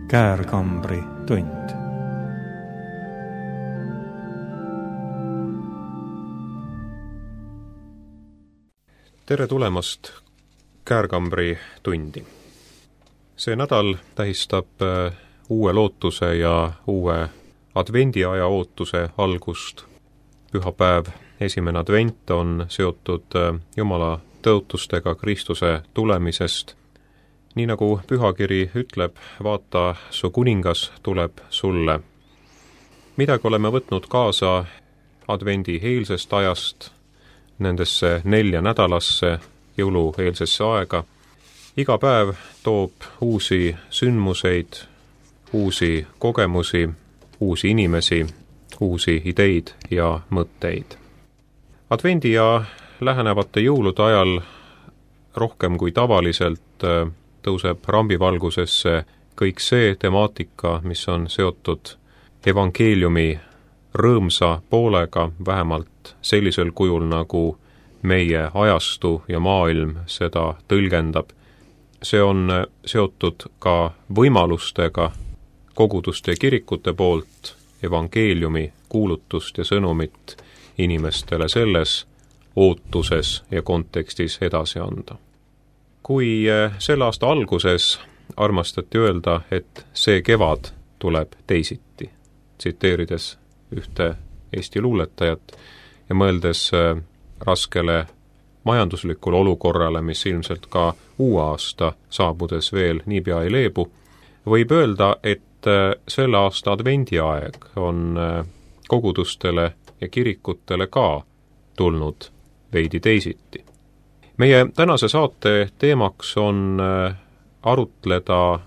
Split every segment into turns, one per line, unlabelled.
Käärkambri tund.
Tere tulemast Käärkambri tundi. See nädal tähistab uue lootuse ja uue advendiaja ootuse algust. Pühapäev, esimene advent on seotud Jumala tõotustega Kristuse tulemisest. Nii nagu pühakiri ütleb, vaata, su kuningas tuleb sulle. Midagi oleme võtnud kaasa advendi eelsest ajast, nendesse 4 nädalasse, jõulueelsesse aega. Iga päev toob uusi sündmuseid, uusi kogemusi, uusi inimesi, uusi ideid ja mõtteid. Advendi ja lähenevate jõulude ajal rohkem kui tavaliselt tõuseb rambivalgusesse kõik see temaatika, mis on seotud evangeeliumi rõõmsa poolega, vähemalt sellisel kujul, nagu meie ajastu ja maailm seda tõlgendab. See on seotud ka võimalustega koguduste ja kirikute poolt evangeeliumi kuulutust ja sõnumit inimestele selles ootuses ja kontekstis edasi anda. Kui selle aasta alguses armastati öelda, et see kevad tuleb teisiti, tsiteerides ühte Eesti luuletajat ja mõeldes raskele majanduslikule olukorrale, mis ilmselt ka uue aasta saabudes veel niipea ei leebu, võib öelda, et selle aasta advendiaeg on kogudustele ja kirikutele ka tulnud veidi teisiti. Meie tänase saate teemaks on arutleda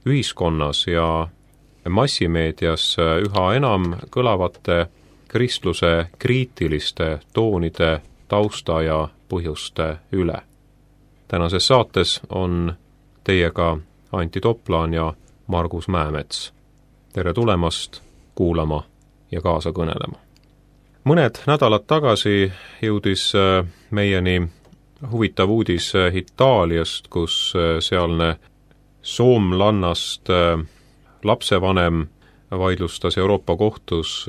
ühiskonnas ja massimeedias üha enam kõlavate kristluse kriitiliste toonide tausta ja põhjuste üle. Tänases saates on teiega Anti Toplaan ja Margus Mäemets. Tere tulemast kuulama ja kaasa kõnelema. Mõned nädalad tagasi jõudis meieni huvitav uudis Itaaliast, kus sealne soomlannast lapsevanem vaidlustas Euroopa kohtus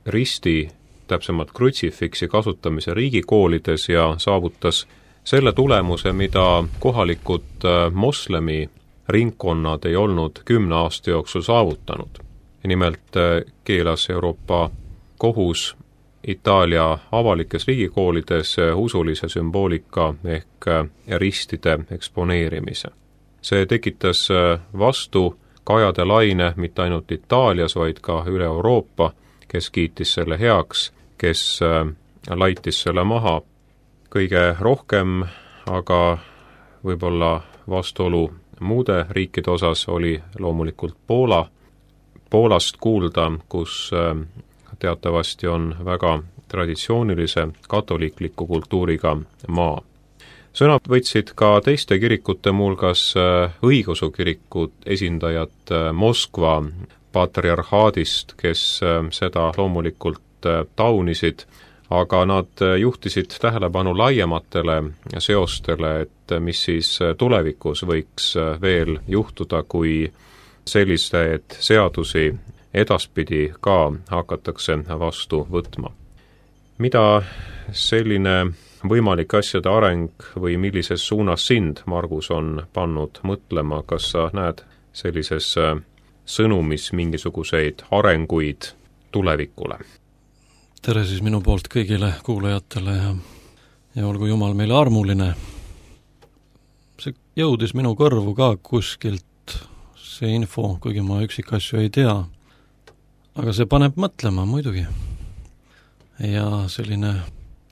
risti, täpsemalt krutsifiksi kasutamise riigikoolides ja saavutas selle tulemuse, mida kohalikud moslemi ringkonnad ei olnud 10 aasta jooksul saavutanud. Nimelt keelas Euroopa kohus Itaalia avalikes riigikoolides usulise sümboolika ehk ristide eksponeerimise. See tekitas vastukajade laine mitte ainult Itaalias, vaid ka üle Euroopa, kes kiitis selle heaks, kes laitis selle maha. Kõige rohkem aga võib-olla vastuolu muude riikide osas oli loomulikult Poola. Poolast kuulda, kus teatavasti on väga traditsioonilise katoliikliku kultuuriga maa. Sõna võtsid ka teiste kirikute mulgas õigeusu kirikud esindajad Moskva patriarhaadist, kes seda loomulikult taunisid, aga nad juhtisid tähelepanu laiematele seostele, et mis siis tulevikus võiks veel juhtuda, kui selliseid seadusi edaspidi ka hakatakse vastu võtma. Mida selline võimalik asjade areng või millises suunas sind, Margus, on pannud mõtlema, kas sa näed sellises sõnumis mingisuguseid arenguid tulevikule?
Tere siis minu poolt kõigile kuulajatele ja olgu Jumal meile armuline. See jõudis minu kõrvu ka kuskilt, see info, kuigi ma üksikasju ei tea. Aga see paneb mõtlema muidugi. Ja selline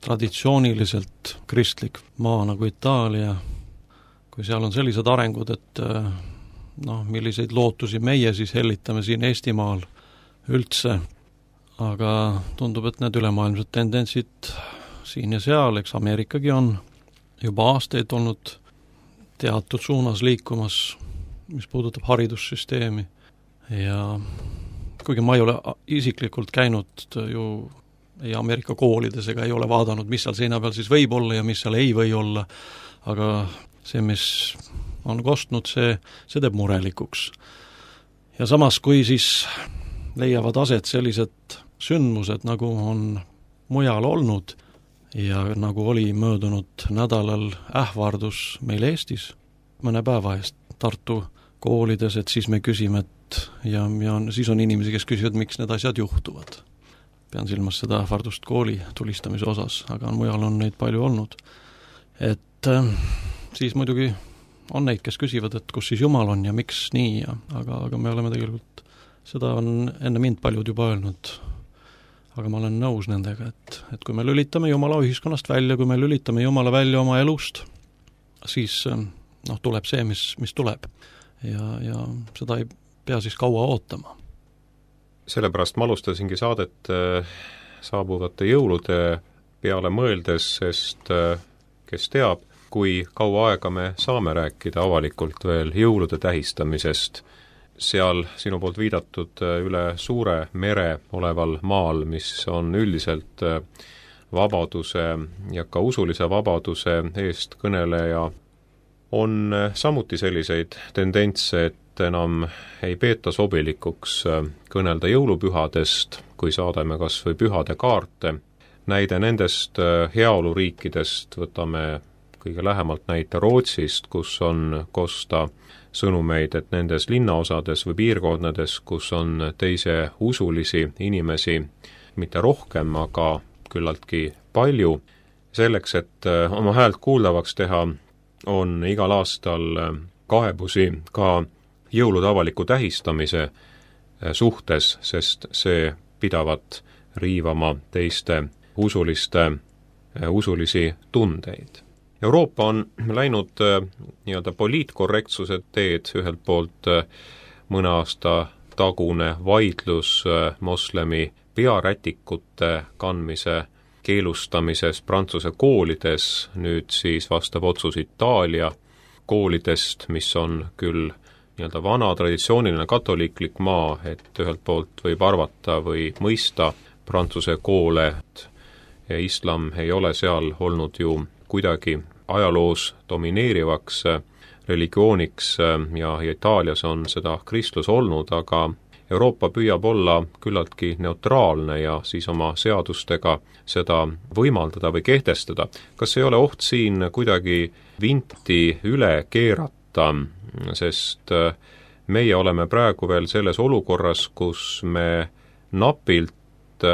traditsiooniliselt kristlik maa nagu Itaalia, kui seal on sellised arengud, et milliseid lootusi meie siis hellitame siin Eestimaal üldse, aga tundub, et need ülemaailmsed tendentsid siin ja seal, eks Ameerikagi on juba aastaid olnud teatud suunas liikumas, mis puudutab haridussüsteemi ja kuigi ma ei ole isiklikult käinud ju ei Ameerika koolides ega ei ole vaadanud, mis seal seina peal siis võib olla ja mis seal ei või olla, aga see, mis on kostnud, see teeb murelikuks. Ja samas, kui siis leiavad aset sellised sündmused, nagu on mujal olnud ja nagu oli möödunud nädalal ähvardus meil Eestis mõne päeva eest Tartu koolides, et siis me küsime, ja siis on inimesi, kes küsivad, miks need asjad juhtuvad. Pean silmas seda ähvardust kooli tulistamise osas, aga mujal on neid palju olnud. Et siis muidugi on neid, kes küsivad, et kus siis Jumal on ja miks nii, aga me oleme tegelikult, seda on enne mind paljud juba öelnud, aga ma olen nõus nendega, et kui me lülitame Jumala ühiskonnast välja, kui me lülitame Jumala välja oma elust, siis tuleb see, mis tuleb. Ja seda ei pea siis kaua ootama.
Sellepärast ma alustasingi saadet saabuvate jõulude peale mõeldes, sest kes teab, kui kaua aega me saame rääkida avalikult veel jõulude tähistamisest, seal sinu poolt viidatud üle suure mere oleval maal, mis on üldiselt vabaduse ja ka usulise vabaduse eest kõneleja, on samuti selliseid tendentse, et enam ei peeta sobilikuks kõnelda jõulupühadest, kui saadame kas või pühade kaarte. Näide nendest heaoluriikidest võtame kõige lähemalt näite Rootsist, kus on kosta sõnumeid, et nendes linnaosades või piirkondades, kus on teise usulisi inimesi, mitte rohkem, aga küllaltki palju, selleks, et oma häält kuuldavaks teha, on igal aastal kaebusi ka jõulude avaliku tähistamise suhtes, sest see pidavat riivama teiste usulisi tundeid. Euroopa on läinud nii-öelda poliitkorrektsuse teed, ühelt poolt mõne aasta tagune vaidlus moslemi pearätikute kandmise keelustamises Prantsuse koolides, nüüd siis vastav otsus Itaalia koolidest, mis on küll nii-öelda vana traditsiooniline katoliiklik maa, et ühelt poolt võib arvata või mõista Prantsuse koole, ja islam ei ole seal olnud ju kuidagi ajaloos domineerivaks religiooniks ja Itaalias on seda kristlus olnud, aga Euroopa püüab olla küllaltki neutraalne ja siis oma seadustega seda võimaldada või kehtestada. Kas ei ole oht siin kuidagi vinti üle keerata, sest meie oleme praegu veel selles olukorras, kus me napilt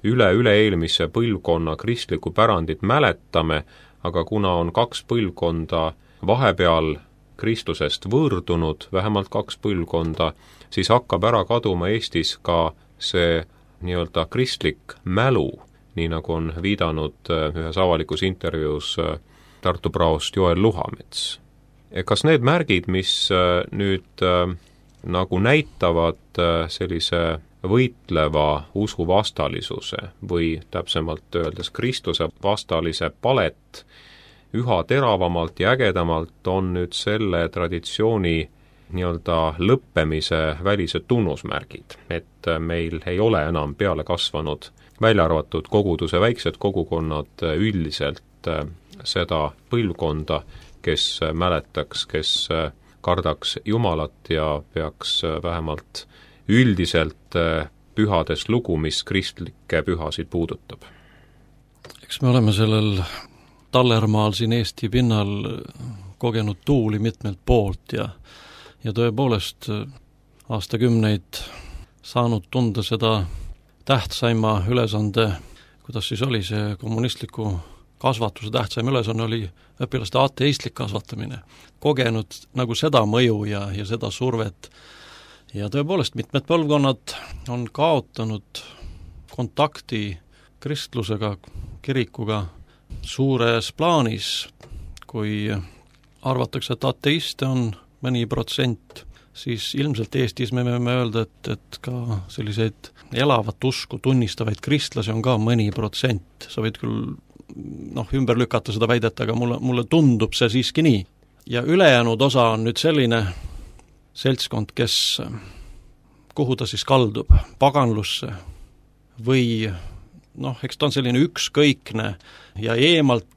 üle-eelmise põlvkonna kristlikku pärandit mäletame, aga kuna on 2 põlvkonda vahepeal kristlusest võõrdunud, vähemalt 2 põlvkonda, siis hakkab ära kaduma Eestis ka see nii-öelda kristlik mälu, nii nagu on viidanud ühes avalikus intervjuus Tartu praost Joel Luhamets. Kas need märgid, mis nüüd nagu näitavad sellise võitleva usuvastalisuse või täpsemalt öeldes Kristuse vastalise palet üha teravamalt ja ägedamalt, on nüüd selle traditsiooni nii-öelda lõppemise välised tunnusmärgid, et meil ei ole enam peale kasvanud, välja arvatud koguduse väiksed kogukonnad üldiselt seda põlvkonda, kes mäletaks, kes kardaks Jumalat ja peaks vähemalt üldiselt pühades lugu, mis kristlikke pühasid puudutab.
Eks me oleme sellel tallermaal siin Eesti pinnal kogenud tuuli mitmelt poolt ja tõepoolest aastakümneid saanud tunda seda tähtsaima ülesande, kuidas siis oli see kommunistliku kasvatuse tähtsaim ülesanne, oli õpilaste ateistlik kasvatamine. Kogenud nagu seda mõju ja seda survet. Ja tõepoolest mitmed põlvkonnad on kaotanud kontakti kristlusega, kirikuga suures plaanis. Kui arvatakse, et ateiste on mõni protsent, siis ilmselt Eestis me võime öelda, et ka selliseid elavat usku tunnistavaid kristlasi on ka mõni protsent. Sa võid küll ümber lükata seda väidet, aga mulle tundub see siiski nii. Ja ülejäänud osa on nüüd selline seltskond, kuhu ta siis kaldub, paganlusse või eks ta on selline ükskõikne ja eemalt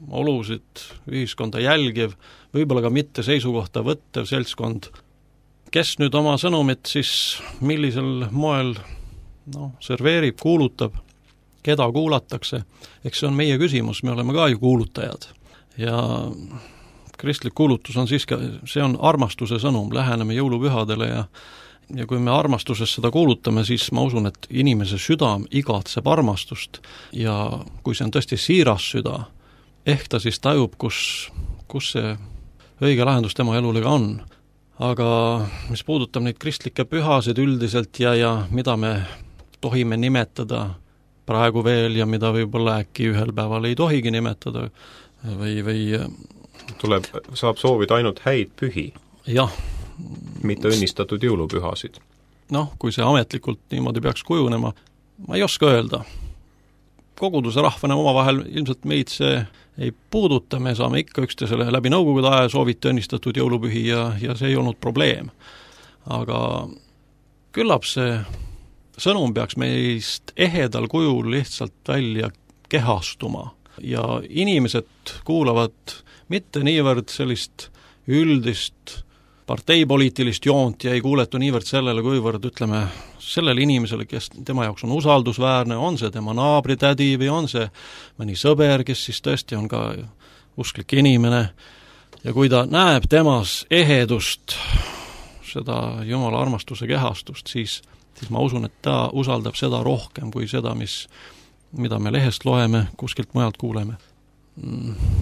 olusid ühiskonda jälgiv, võib-olla ka mitte seisukohta võttev seltskond, kes nüüd oma sõnumit siis millisel moel serveerib, kuulutab, keda kuulatakse, eks see on meie küsimus, me oleme ka ju kuulutajad. Ja kristlik kuulutus on siiski, see on armastuse sõnum, läheneme jõulupühadele ja kui me armastuses seda kuulutame, siis ma usun, et inimese südam igatseb armastust ja kui see on tõesti siiras süda, ehk ta siis tajub, kus see õige lahendus tema elule ka on. Aga mis puudutab neid kristlikke pühasid üldiselt ja mida me tohime nimetada praegu veel ja mida võib-olla äkki ühel päeval ei tohigi nimetada või
saab soovida ainult häid pühi.
Jah.
Mitte õnnistatud jõulupühasid.
Kui see ametlikult niimoodi peaks kujunema, ma ei oska öelda. Koguduse rahvana omavahel ilmselt meid see ei puuduta, me saame ikka üksteisele läbi nõukogude aja sooviti õnnistatud jõulupühi ja see ei olnud probleem. Aga küllap see sõnum peaks meist ehedal kujul lihtsalt välja kehastuma ja inimesed kuulavad mitte niivõrd sellist üldist parteipoliitilist joont ja ei kuuletu niivõrd sellele, kuivõrd ütleme sellele inimesele, kes tema jaoks on usaldusväärne, on see tema naabritädi või on see mõni sõber, kes siis tõesti on ka usklik inimene ja kui ta näeb temas ehedust, seda Jumala armastuse kehastust, siis ma usun, et ta usaldab seda rohkem kui seda, mida me lehest loeme, kuskilt mujalt kuuleme.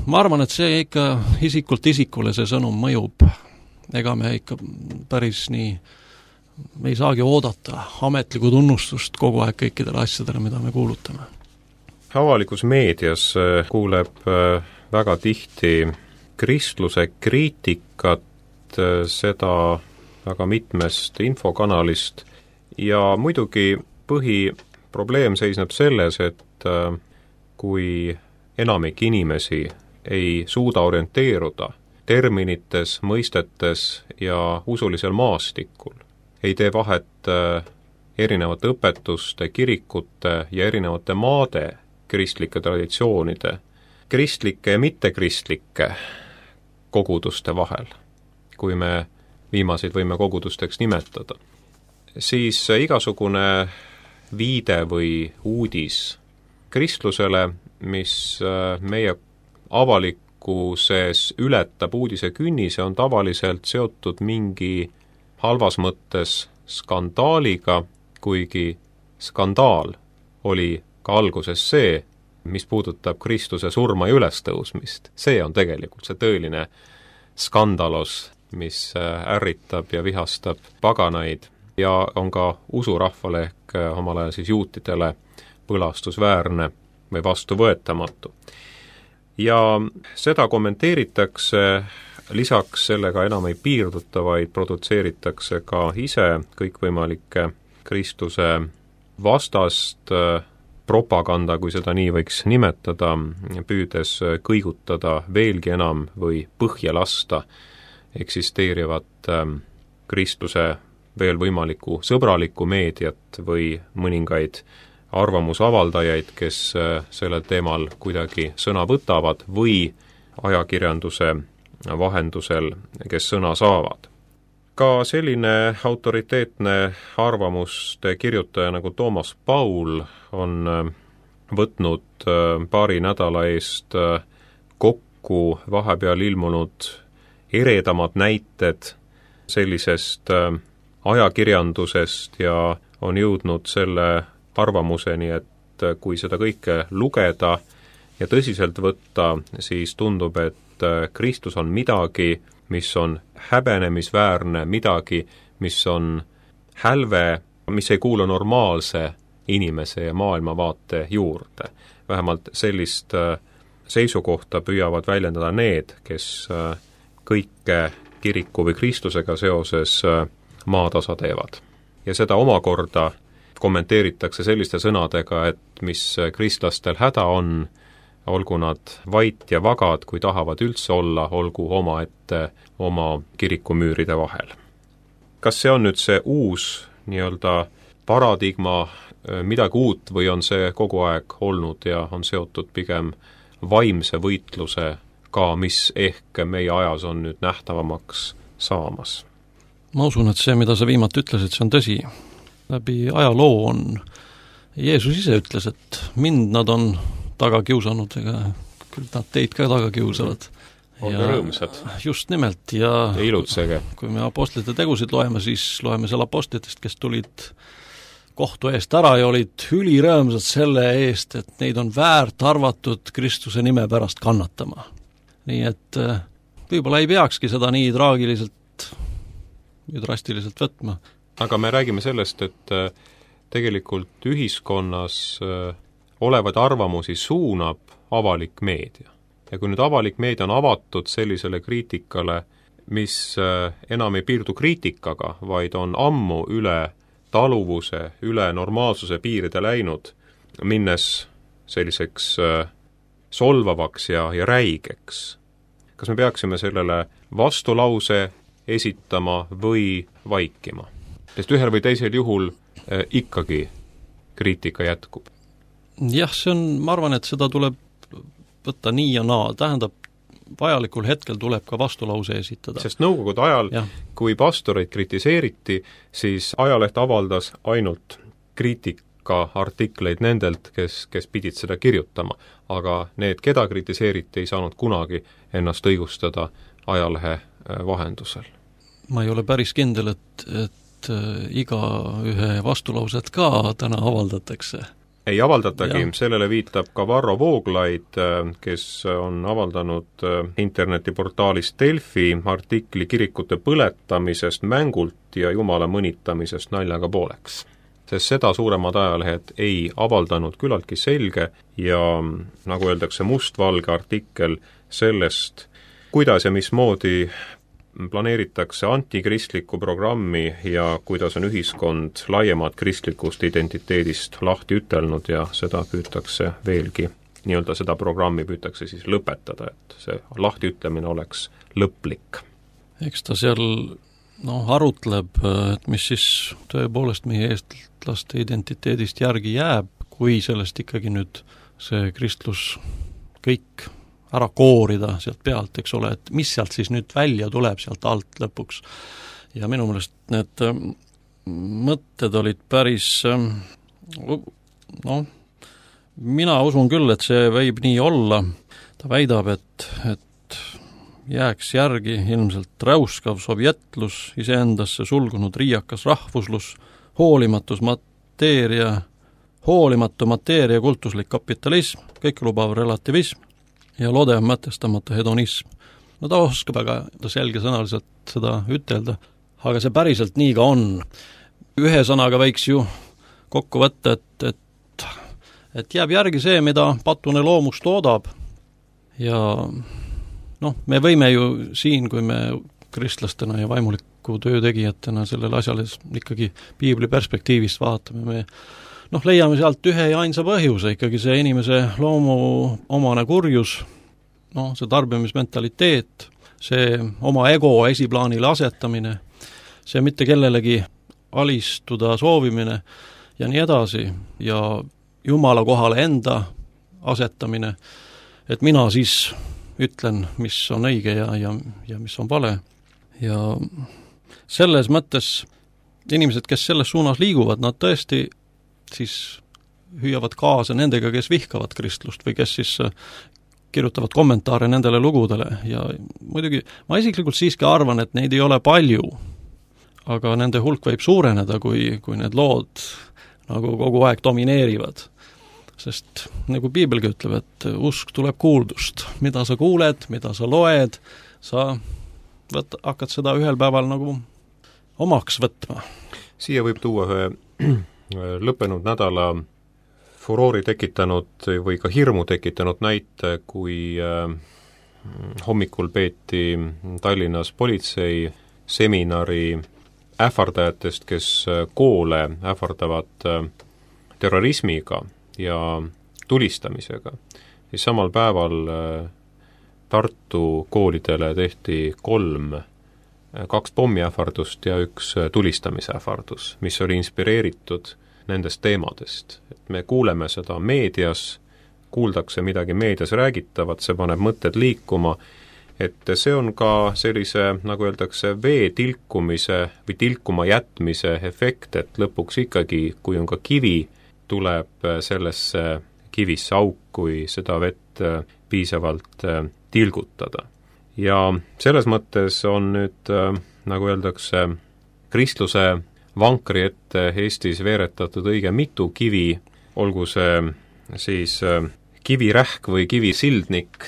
Ma arvan, et see ikka isikult isikule see sõnum mõjub. Ega me ikka päris nii, me ei saagi oodata ametlikku tunnustust kogu aeg kõikidele asjadele, mida me kuulutame.
Avalikus meedias kuuleb väga tihti kristluse kriitikat, seda väga mitmest infokanalist ja muidugi põhiprobleem seisneb selles, et kui enamik inimesi ei suuda orienteeruda terminites, mõistetes ja usulisel maastikul, ei tee vahet erinevate õpetuste, kirikute ja erinevate maade kristlike traditsioonide, kristlike ja mittekristlike koguduste vahel, kui me viimaseid võime kogudusteks nimetada, siis igasugune viide või uudis kristlusele, mis meie avalikus ületab uudise künnise, on tavaliselt seotud mingi halvas mõttes skandaaliga, kuigi skandaal oli ka alguses see, mis puudutab Kristuse surma ja ülestõusmist. See on tegelikult see tõeline skandalos, mis ärritab ja vihastab paganaid ja on ka usurahvale ehk omal ajal siis juutidele põlastusväärne või vastuvõetamatu. Ja seda kommenteeritakse, lisaks sellega enam ei piirduta, vaid produtseeritakse ka ise kõikvõimalikke Kristuse vastast propaganda, kui seda nii võiks nimetada, püüdes kõigutada veelgi enam või põhja lasta eksisteerivat Kristuse veel võimalikku sõbralikku meediat või mõningaid arvamusavaldajaid, kes sellel teemal kuidagi sõna võtavad või ajakirjanduse vahendusel, kes sõna saavad. Ka selline autoriteetne arvamuste kirjutaja nagu Toomas Paul on võtnud paari nädala eest kokku vahepeal ilmunud eredamad näited sellisest ajakirjandusest ja on jõudnud selle arvamuseni, et kui seda kõike lugeda ja tõsiselt võtta, siis tundub, et Kristus on midagi, mis on häbenemisväärne, midagi, mis on hälve, mis ei kuulu normaalse inimese ja maailmavaate juurde. Vähemalt sellist seisukohta püüavad väljendada need, kes kõike kiriku või Kristusega seoses maatasa teevad. Ja seda omakorda kommenteeritakse selliste sõnadega, et mis kristlastel häda on, olgu nad vait ja vagad, kui tahavad üldse olla, olgu omaette oma kirikumüüride vahel. Kas see on nüüd see uus nii-öelda paradigma, midagi uut või on see kogu aeg olnud ja on seotud pigem vaimse võitluse ka, mis ehk meie ajas on nüüd nähtavamaks saamas?
Ma usun, et see, mida sa viimati ütlesid, see on tõsi. Läbi ajaloo on Jeesus ise ütles, et mind nad on taga kiusanud, ega küll nad teid ka taga kiusavad.
Olge rõõmsad.
Just nimelt, ja
ilutsege.
Kui me apostlite tegusid loeme, siis loeme seal apostlitest, kes tulid kohtu eest ära ja olid ülirõõmsad selle eest, et neid on väärt arvatud Kristuse nime pärast kannatama. Nii et võib-olla ei peakski seda nii traagiliselt ja drastiliselt võtma.
Aga me räägime sellest, et tegelikult ühiskonnas olevaid arvamusi suunab avalik meedia. Ja kui nüüd avalik meedia on avatud sellisele kriitikale, mis enam ei piirdu kriitikaga, vaid on ammu üle taluvuse, üle normaalsuse piiride läinud, minnes selliseks solvavaks ja räigeks. Kas me peaksime sellele vastulause esitama või vaikima? Sest ühel või teisel juhul ikkagi kriitika jätkub.
Jah, see on, ma arvan, et seda tuleb võtta nii ja naa, tähendab, vajalikul hetkel tuleb ka vastulause esitada.
Sest nõukogude ajal, kui pastoreid kritiseeriti, siis ajaleht avaldas ainult kriitikaartikleid nendelt, kes pidid seda kirjutama. Aga need, keda kritiseeriti, ei saanud kunagi ennast õigustada ajalehe vahendusel. Ma
ei ole päris kindel, et iga ühe vastulauset ka täna avaldatakse.
Ei avaldatagi, sellele viitab ka Varro Vooglaid, kes on avaldanud internetiportaalis Delfi artikli kirikute põletamisest mängult ja jumala mõnitamisest naljaga pooleks. Sest seda suuremad ajalehed ei avaldanud küllaltki selge ja nagu öeldakse, mustvalge artikkel sellest, kuidas ja mismoodi planeeritakse antikristlikku programmi ja kuidas on ühiskond laiemat kristlikust identiteedist lahti ütelnud ja seda püütakse veelgi, nii-öelda seda programmi püütakse siis lõpetada, et see lahti ütlemine oleks lõplik.
Eks ta seal arutleb, et mis siis tõepoolest meie eestlaste identiteedist järgi jääb, kui sellest ikkagi nüüd see kristlus kõik ära koorida sealt pealt, eks ole, et mis sealt siis nüüd välja tuleb sealt alt lõpuks. Ja minu meelest need mõtted olid päris, mina usun küll, et see võib nii olla. Ta väidab, et jääks järgi ilmselt räuskav sovjetlus, iseendasse sulgunud riiakas rahvuslus, hoolimatu mateeria kultuslik kapitalism, kõikelubav relativism ja lodev mõtestamata hedonism. No ta oskab väga selgesõnaliselt seda ütelda, aga see päriselt nii ka on. Ühe sõnaga võiks ju kokku võtta, et jääb järgi see, mida patune loomus toodab. Ja me võime ju siin, kui me kristlastena ja vaimuliku töötegijatena sellele asjale ikkagi piibli perspektiivist vaatame, me leiame sealt ühe ja ainsa põhjuse, ikkagi see inimese loomu omane kurjus, see tarbimismentaliteet, see oma ego esiplaanile asetamine, see mitte kellelegi alistuda soovimine ja nii edasi, ja Jumala kohale enda asetamine, et mina siis ütlen, mis on õige ja mis on vale. Ja selles mõttes inimesed, kes selles suunas liiguvad, nad tõesti siis hüüavad kaasa nendega, kes vihkavad kristlust või kes siis kirjutavad kommentaare nendele lugudele ja muidugi ma isiklikult siiski arvan, et neid ei ole palju, aga nende hulk võib suureneda, kui need lood nagu kogu aeg domineerivad. Sest nagu piibelgi ütleb, et usk tuleb kuuldust. Mida sa kuuled, mida sa loed, sa hakkad seda ühel päeval nagu omaks võtma.
Siia võib tuua ühe lõppenud nädala furoori tekitanud või ka hirmu tekitanud näite, kui hommikul peeti Tallinnas politsei seminari ähvardajatest, kes koole ähvardavad terrorismiga ja tulistamisega. Siis samal päeval Tartu koolidele tehti 2 pommiähvardust ja 1 tulistamisähvardus, mis oli inspireeritud nendest teemadest. Et me kuuleme seda meedias, kuuldakse midagi meedias räägitavat, see paneb mõtted liikuma et see on ka sellise, nagu öeldakse, vee tilkumise või tilkuma jätmise efekt, et lõpuks ikkagi, kui on ka kivi, tuleb sellesse kivisse auk, kui seda vett piisavalt tilgutada. Ja selles mõttes on nüüd, nagu öeldakse, kristluse vankri ette Eestis veeretatud õige mitu kivi, olgu see siis kivirähk või kivisildnik,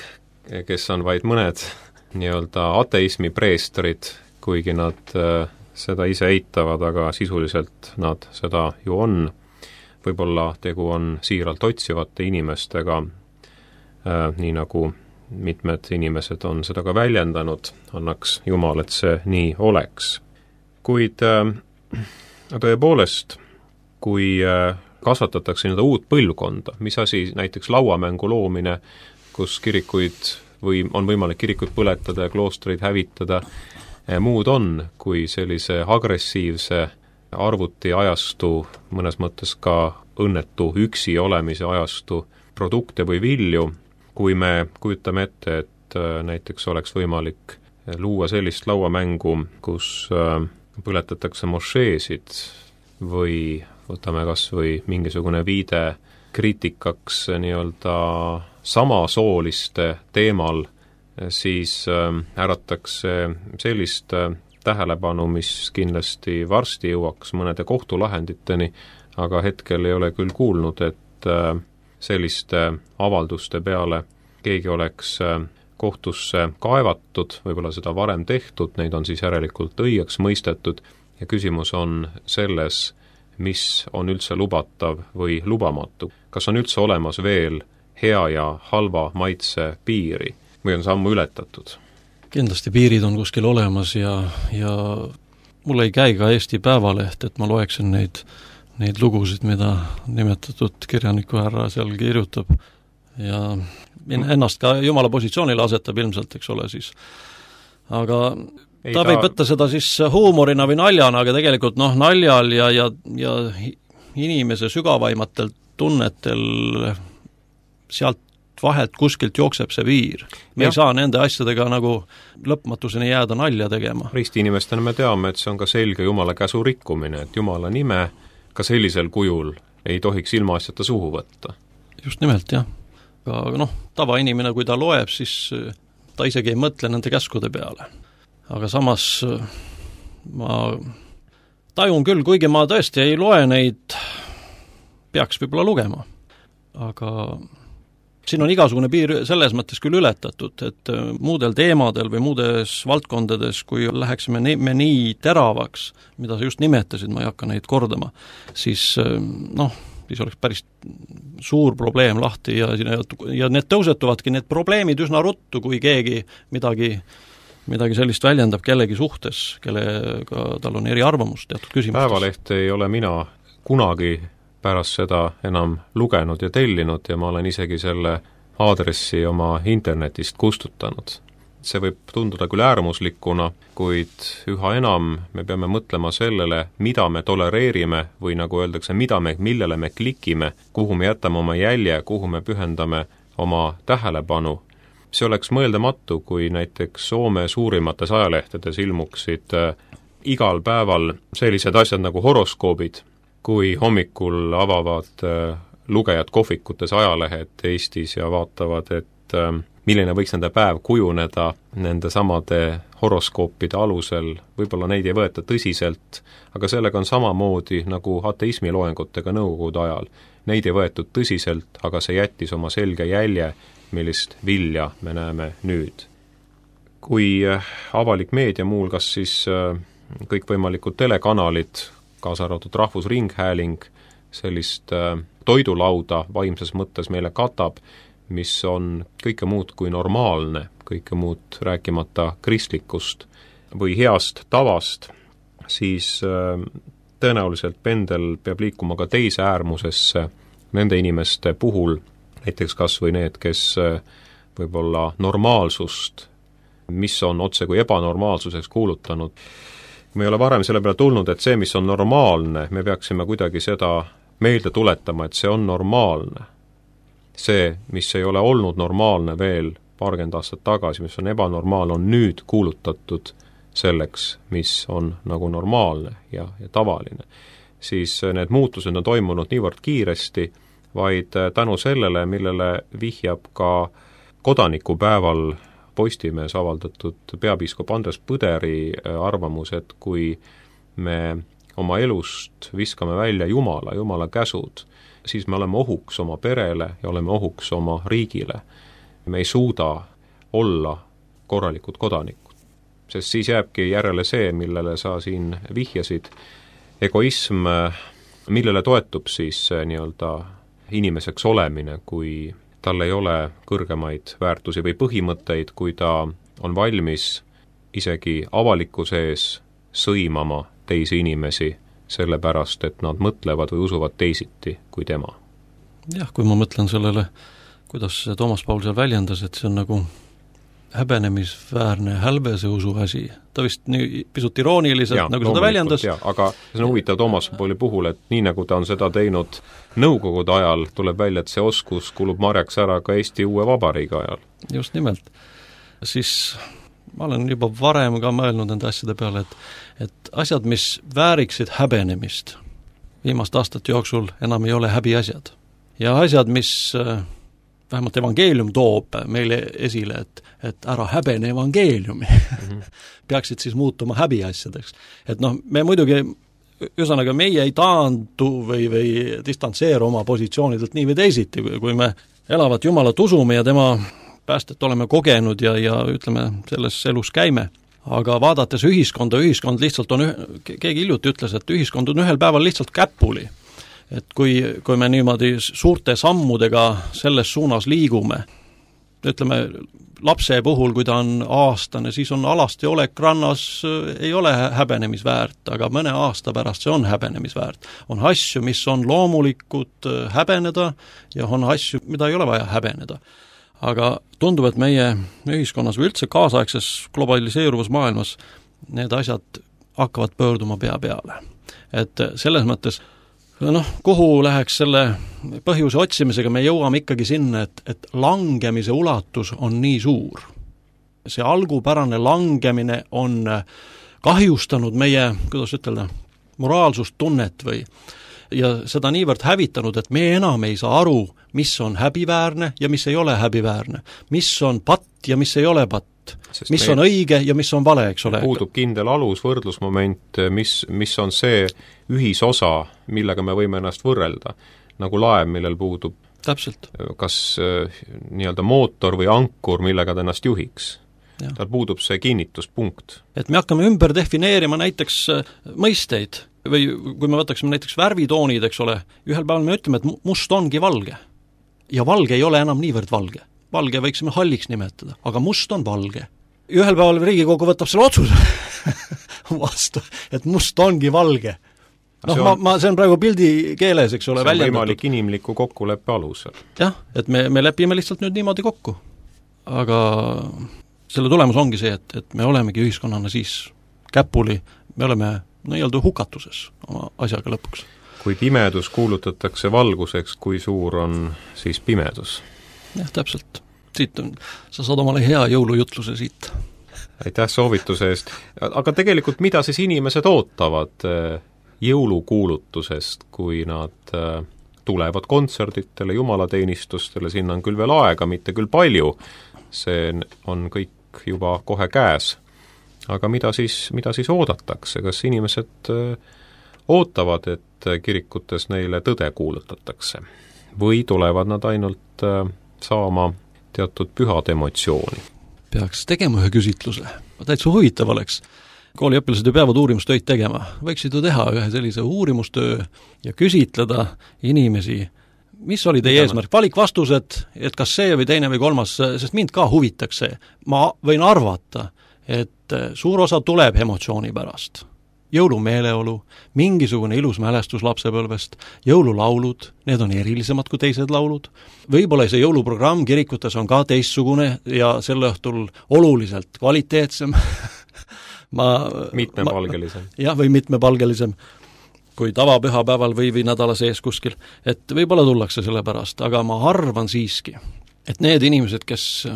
kes on vaid mõned nii-öelda ateismi preestrid, kuigi nad seda ise eitavad, aga sisuliselt nad seda ju on. Võib-olla tegu on siiralt otsivate inimestega, nii nagu mitmed inimesed on seda ka väljendanud, annaks Jumal, et see nii oleks. Kuid tõepoolest, kui kasvatatakse nii-öelda uut põlvkonda, mis asi näiteks lauamängu loomine, kus kirikuid või on võimalik kirikuid põletada ja kloostreid hävitada, muud on kui sellise agressiivse arvutiajastu, mõnes mõttes ka õnnetu üksi olemise ajastu produkte või vilju, kui me kujutame ette, et näiteks oleks võimalik luua sellist lauamängu, kus põletatakse mošeesid või võtame kas või mingisugune viide kriitikaks nii-öelda samasooliste teemal, siis äratakse sellist tähelepanu, mis kindlasti varsti jõuaks mõnede kohtulahenditeni, aga hetkel ei ole küll kuulnud, et selliste avalduste peale keegi oleks kohtusse kaevatud, võib-olla seda varem tehtud, neid on siis järelikult õigeks mõistetud ja küsimus on selles, mis on üldse lubatav või lubamatu. Kas on üldse olemas veel hea ja halva maitse piiri või on see ammu ületatud?
Kindlasti piirid on kuskil olemas ja mul ei käi ka Eesti Päevaleht, et ma loeksin neid lugusid, mida nimetatud kirjaniku härra seal kirjutab ja ennast ka Jumala positsioonile asetab ilmselt, eks ole siis. Aga ta võib võtta seda siis huumorina või naljana, aga tegelikult naljal ja inimese sügavaimatel tunnetel sealt vahelt kuskilt jookseb see piir. Me ei saa nende asjadega nagu lõpmatuseni jääda nalja tegema.
Ristiinimestena me teame, et see on ka selge Jumala käsu rikkumine, et Jumala nime ka sellisel kujul ei tohiks ilmaasjata suhu võtta. Just
nimelt, jah. Aga tavainimene, kui ta loeb, siis ta isegi ei mõtle nende käskude peale. Aga samas ma tajun küll, kuigi ma tõesti ei loe neid, peaks võib-olla lugema. Aga siin on igasugune piir selles mõttes küll ületatud, et muudel teemadel või muudes valdkondades, kui läheksime me nii teravaks, mida sa just nimetasid, ma ei hakka neid kordama, siis siis oleks päris suur probleem lahti ja need tõusetuvadki, need probleemid üsna ruttu, kui keegi midagi sellist väljendab kellegi suhtes, kellega tal on eriarvamus teatud küsimustes.
Päevalehte ei ole mina kunagi pärast seda enam lugenud ja tellinud ja ma olen isegi selle aadressi oma internetist kustutanud. See võib tunduda küll äärmuslikuna, kuid üha enam me peame mõtlema sellele, mida me tolereerime või nagu öeldakse, millele me klikime, kuhu me jätame oma jälje, kuhu me pühendame oma tähelepanu. See oleks mõeldamatu, kui näiteks Soome suurimates ajalehtedes ilmuksid igal päeval sellised asjad nagu horoskoobid, kui hommikul avavad lugejad kohvikutes ajalehed Eestis ja vaatavad, et milline võiks nende päev kujuneda nende samade horoskoopide alusel, võib-olla neid ei võeta tõsiselt, aga sellega on samamoodi nagu ateismi loengutega nõukogude ajal. Neid ei võetud tõsiselt, aga see jättis oma selge jälje, millist vilja me näeme nüüd. Kui avalik meedia muuhulgas siis kõikvõimalikud telekanalid, kaasa arvatud Rahvusringhääling, sellist toidulauda vaimses mõttes meile katab, mis on kõike muud kui normaalne, kõike muud rääkimata kristlikust või heast tavast, siis tõenäoliselt pendel peab liikuma ka teise äärmusesse nende inimeste puhul, näiteks kas või need, kes võib-olla normaalsust, mis on otse kui ebanormaalsuseks kuulutanud. Me ei ole varem selle peale tulnud, et see, mis on normaalne, me peaksime kuidagi seda meelde tuletama, et see on normaalne. See, mis ei ole olnud normaalne veel paarkümmend aastat tagasi, mis on ebanormaal, on nüüd kuulutatud selleks, mis on nagu normaalne ja tavaline, siis need muutused on toimunud niivõrd kiiresti, vaid tänu sellele, millele vihjab ka kodanikupäeval Postimees avaldatud peapiiskop Andres Põderi arvamus, et kui me oma elust viskame välja Jumala käsud, siis me oleme ohuks oma perele ja oleme ohuks oma riigile. Me ei suuda olla korralikud kodanikud, sest siis jääbki järele see, millele sa siin vihjasid, egoism, millele toetub siis nii-öelda inimeseks olemine, kui tal ei ole kõrgemaid väärtusi või põhimõtteid, kui ta on valmis isegi avalikkuse ees sõimama teisi inimesi, sellepärast, et nad mõtlevad või usuvad teisiti kui tema.
Jah, kui ma mõtlen sellele, kuidas Toomas Paul seal väljendas, et see on nagu häbenemisväärne hälbese usu asi. Ta vist nii pisut irooniliselt nagu seda väljendas.
Aga see on huvitav Toomas Pauli puhul, et nii nagu ta on seda teinud Nõukogude ajal, tuleb välja, et see oskus kulub marjaks ära ka Eesti uue vabariigi ajal.
Just nimelt. Siis ma olen juba varem ka mõelnud nende asjade peale, et asjad, mis vääriksid häbenemist, viimast aastate jooksul enam ei ole häbiasjad. Ja asjad, mis vähemalt evangeelium toob meile esile, et ära häbene evangeeliumi, peaksid siis muutuma häbiasjadeks. Et me muidugi, ühesõnaga meie ei taandu või distantseeru oma positsioonidelt nii või teisiti, kui me elavat Jumalat usume ja tema päästet oleme kogenud ja ütleme, selles elus käime. Aga vaadates ühiskond lihtsalt on, keegi hiljuti ütles, et ühiskond on ühel päeval lihtsalt käpuli. Et kui me niimoodi suurte sammudega selles suunas liigume, ütleme, lapse puhul, kui ta on aastane, siis on alasti olek rannas, ei ole häbenemisväärt, aga mõne aasta pärast see on häbenemisväärt. On asju, mis on loomulikud häbeneda ja on asju, mida ei ole vaja häbeneda. Aga tundub, et meie ühiskonnas või üldse kaasaegses globaliseeruvas maailmas need asjad hakkavad pöörduma pea peale. Et selles mõttes kuhu läheks selle põhjuse otsimisega, me jõuame ikkagi sinna, et langemise ulatus on nii suur. See algupärane langemine on kahjustanud meie, kuidas ütelda, moraalsustunnet ja seda niivõrd hävitanud, et me enam ei saa aru, mis on häbiväärne ja mis ei ole häbiväärne, mis on patt ja mis ei ole patt. Sest mis on õige ja mis on vale, eks ole.
Puudub kindel alus, võrdlusmoment, mis on see ühisosa, millega me võime ennast võrrelda. Nagu laev, millel puudub
täpselt.
Kas nii-öelda mootor või ankur, millega ta ennast juhiks.
Ja.
Tal puudub see kinnituspunkt.
Et me hakkame ümber defineerima näiteks mõisteid või kui me võtaksime näiteks värvitoonid, eks ole, ühel päeval me ütleme, et must ongi valge. Ja valge ei ole enam niivõrd valge. Valge võiksime halliks nimetada, aga must on valge. Ühel päeval Riigikogu võtab selle otsuse vastu, et must ongi valge. See on praegu pildi keeles, eks ole, väljendatud. See on
võimalik inimliku kokkuleppe alusel.
Jah, et me lepime lihtsalt nüüd niimoodi kokku. Aga selle tulemus ongi see, et me olemegi ühiskonnana siis käpuli, me oleme nii-öelda hukatuses oma asjaga lõpuks.
Kui pimedus kuulutatakse valguseks, kui suur on siis pimedus?
Jah, täpselt. Sa saad omale hea jõulujutluse siit.
Aitäh soovituse eest. Aga tegelikult mida siis inimesed ootavad jõulukuulutusest, kui nad tulevad kontserditele, jumalateenistustele, sinna on küll veel aega, mitte küll palju, see on kõik juba kohe käes. Aga mida siis oodatakse? Kas inimesed ootavad, et kirikutes neile tõde kuulutatakse? Või tulevad nad ainult saama teatud pühad emotsiooni?
Peaks tegema ühe küsitluse. Täitsa huvitav oleks. Kooliõpilased ju peavad uurimustöid tegema. Võiksid ju teha ühe sellise uurimustöö ja küsitleda inimesi, mis oli teie eesmärk? Valikvastused, et kas see või teine või kolmas, sest mind ka huvitaks see. Ma võin arvata, et suur osa tuleb emotsiooni pärast. Jõulumeeleolu, mingisugune ilus mälestus lapsepõlvest, jõululaulud, need on erilisemad kui teised laulud. Võib-olla see jõuluprogramm kirikutes on ka teistsugune ja sel õhtul oluliselt kvaliteetsem.
Mitmepalgelisem.
Jah, või mitmepalgelisem kui tavapühapäeval või nädala sees kuskil. Et võib-olla tullakse selle pärast, aga ma arvan siiski, et need inimesed, kes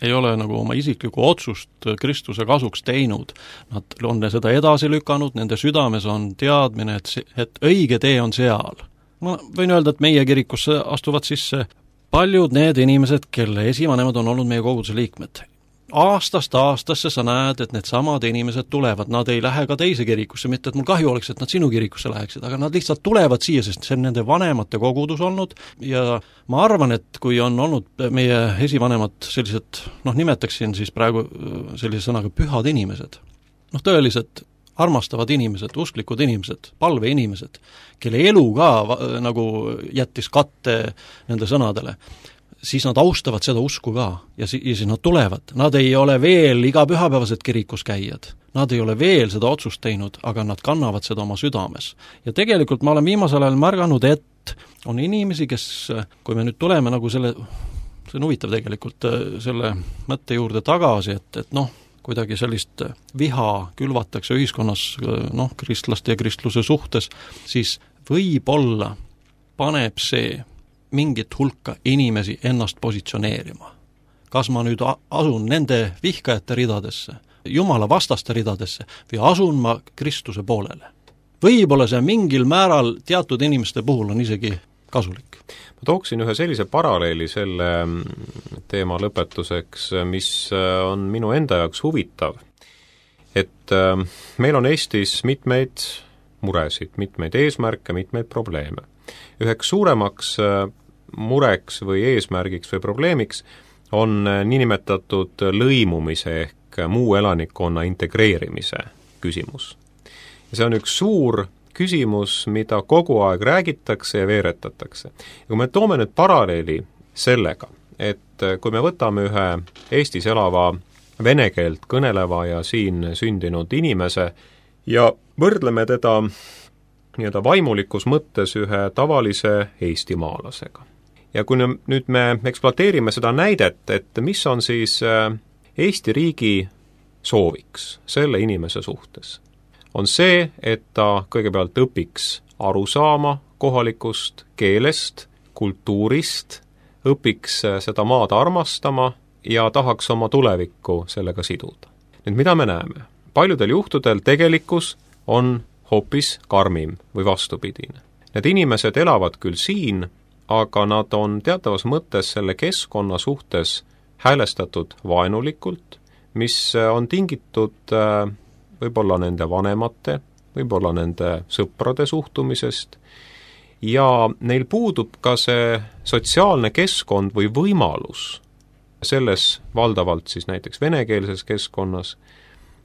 ei ole nagu oma isiklikku otsust Kristuse kasuks teinud. Nad on seda edasi lükanud, nende südames on teadmine, et õige tee on seal. Ma võin öelda, et meie kirikusse astuvad sisse paljud need inimesed, kelle esivanemad on olnud meie koguduse liikmed. Aastast aastasse sa näed, et need samad inimesed tulevad, nad ei lähe ka teise kirikusse, mitte et mul kahju oleks, et nad sinu kirikusse läheksid, aga nad lihtsalt tulevad siia, sest see on nende vanemate kogudus olnud ja ma arvan, et kui on olnud meie esivanemad sellised, nimetaksin siis praegu sellise sõnaga pühad inimesed, tõeliselt armastavad inimesed, usklikud inimesed, palveinimesed, kelle elu ka nagu jättis katte nende sõnadele, siis nad austavad seda usku ka ja siis nad tulevad. Nad ei ole veel iga pühapäevased kirikus käijad. Nad ei ole veel seda otsust teinud, aga nad kannavad seda oma südames. Ja tegelikult ma olen viimasel ajal märganud, et on inimesi, kes, kui me nüüd tuleme nagu see on huvitav tegelikult selle mõtte juurde tagasi, et kuidagi sellist viha külvatakse ühiskonnas kristlaste ja kristluse suhtes, siis võib-olla paneb see mingit hulka inimesi ennast positsioneerima. Kas ma nüüd asun nende vihkajate ridadesse, Jumala vastaste ridadesse või asun ma Kristuse poolele? Võib-olla see mingil määral teatud inimeste puhul on isegi kasulik.
Ma tooksin ühe sellise paralleeli selle teema lõpetuseks, mis on minu enda jaoks huvitav. Et meil on Eestis mitmeid muresid, mitmeid eesmärke, mitmeid probleeme. Üheks suuremaks mureks või eesmärgiks või probleemiks on niinimetatud lõimumise ehk muu elanikkonna integreerimise küsimus. Ja see on üks suur küsimus, mida kogu aeg räägitakse ja veeretatakse. Ja kui me toome nüüd paralleeli sellega, et kui me võtame ühe Eestis elava vene keelt kõneleva ja siin sündinud inimese ja võrdleme teda nii-öelda vaimulikus mõttes ühe tavalise eestimaalasega. Ja kui nüüd me ekspluateerime seda näidet, et mis on siis Eesti riigi sooviks selle inimese suhtes, on see, et ta kõigepealt õpiks aru saama kohalikust keelest, kultuurist, õpiks seda maad armastama ja tahaks oma tulevikku sellega siduda. Nüüd mida me näeme? Paljudel juhtudel tegelikkus on hoopis karmim või vastupidine. Need inimesed elavad küll siin, aga nad on teatavas mõttes selle keskkonna suhtes häälestatud vaenulikult, mis on tingitud võib-olla nende vanemate, võib-olla nende sõprade suhtumisest ja neil puudub ka see sotsiaalne keskkond või võimalus selles valdavalt siis näiteks venekeelses keskkonnas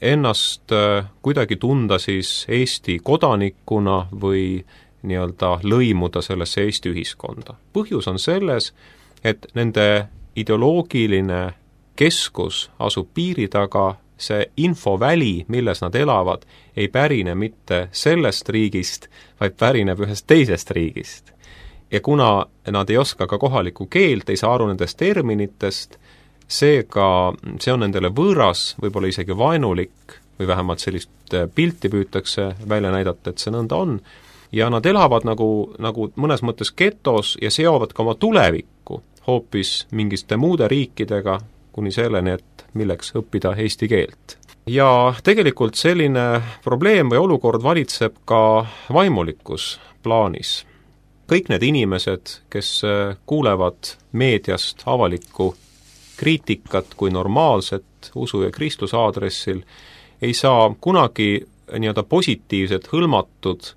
ennast kuidagi tunda siis Eesti kodanikuna või nii-öelda lõimuda sellesse Eesti ühiskonda. Põhjus on selles, et nende ideoloogiline keskus asub piiri taga, see infoväli, milles nad elavad, ei pärine mitte sellest riigist, vaid pärineb ühest teisest riigist. Ja kuna nad ei oska ka kohalikku keelt, ei saa aru nendest terminitest, seega see on nendele võõras, võib-olla isegi vaenulik, või vähemalt sellist pilti püütakse välja näidata, et see nõnda on, ja nad elavad nagu mõnes mõttes getos ja seovad ka oma tulevikku hoopis mingiste muude riikidega, kuni selleni, et milleks õppida eesti keelt. Ja tegelikult selline probleem või olukord valitseb ka vaimulikus plaanis. Kõik need inimesed, kes kuulevad meediast avalikku kriitikat kui normaalset usu ja kristluse aadressil, ei saa kunagi nii-öelda positiivselt hõlmatud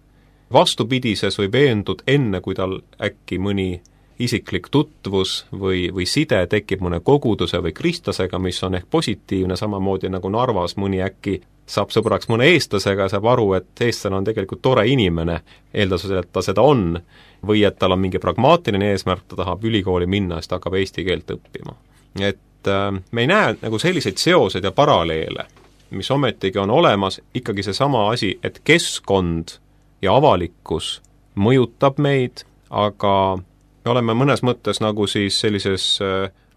vastupidises või veendud enne, kui tal äkki mõni isiklik tutvus või side tekib mõne koguduse või kristlasega, mis on ehk positiivne, samamoodi nagu Narvas mõni äkki saab sõbraks mõne eestlasega ja saab aru, et eestlane on tegelikult tore inimene, eeldasusel, et ta seda on, või et tal on mingi pragmaatiline eesmärk, ta tahab ülikooli minna, siis ta hakkab eesti keelt õppima. Et me ei näe nagu selliseid seoseid ja paralleele, mis ometigi on olemas, ikkagi seesama asi, et keskkond ja avalikkus mõjutab meid, aga me oleme mõnes mõttes nagu siis sellises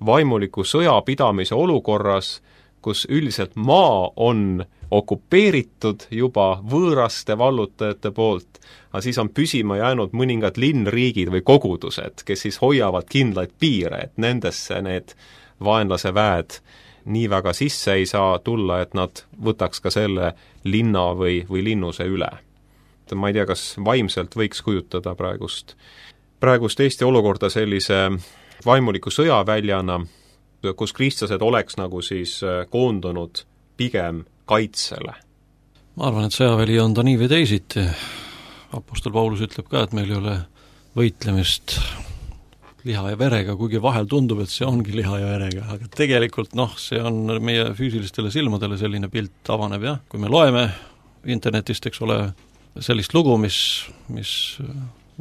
vaimuliku sõjapidamise olukorras, kus üldiselt maa on okupeeritud juba võõraste vallutajate poolt, aga siis on püsima jäänud mõningad linnriigid või kogudused, kes siis hoiavad kindlaid piire, et nendesse need vaenlase väed nii väga sisse ei saa tulla, et nad võtaks ka selle linna või linnuse üle. Ma ei tea, kas vaimselt võiks kujutada praegust Eesti olukorda sellise vaimuliku sõjaväljana, kus kristlased oleks nagu siis koondunud pigem kaitsele.
Ma arvan, et sõjaväli on ta nii või teisiti. Apostel Paulus ütleb ka, et meil ei ole võitlemist liha ja verega, kuigi vahel tundub, et see ongi liha ja verega, aga tegelikult see on meie füüsilistele silmadele selline pilt avaneb, jah. Kui me loeme internetist, eks ole, sellist lugu, mis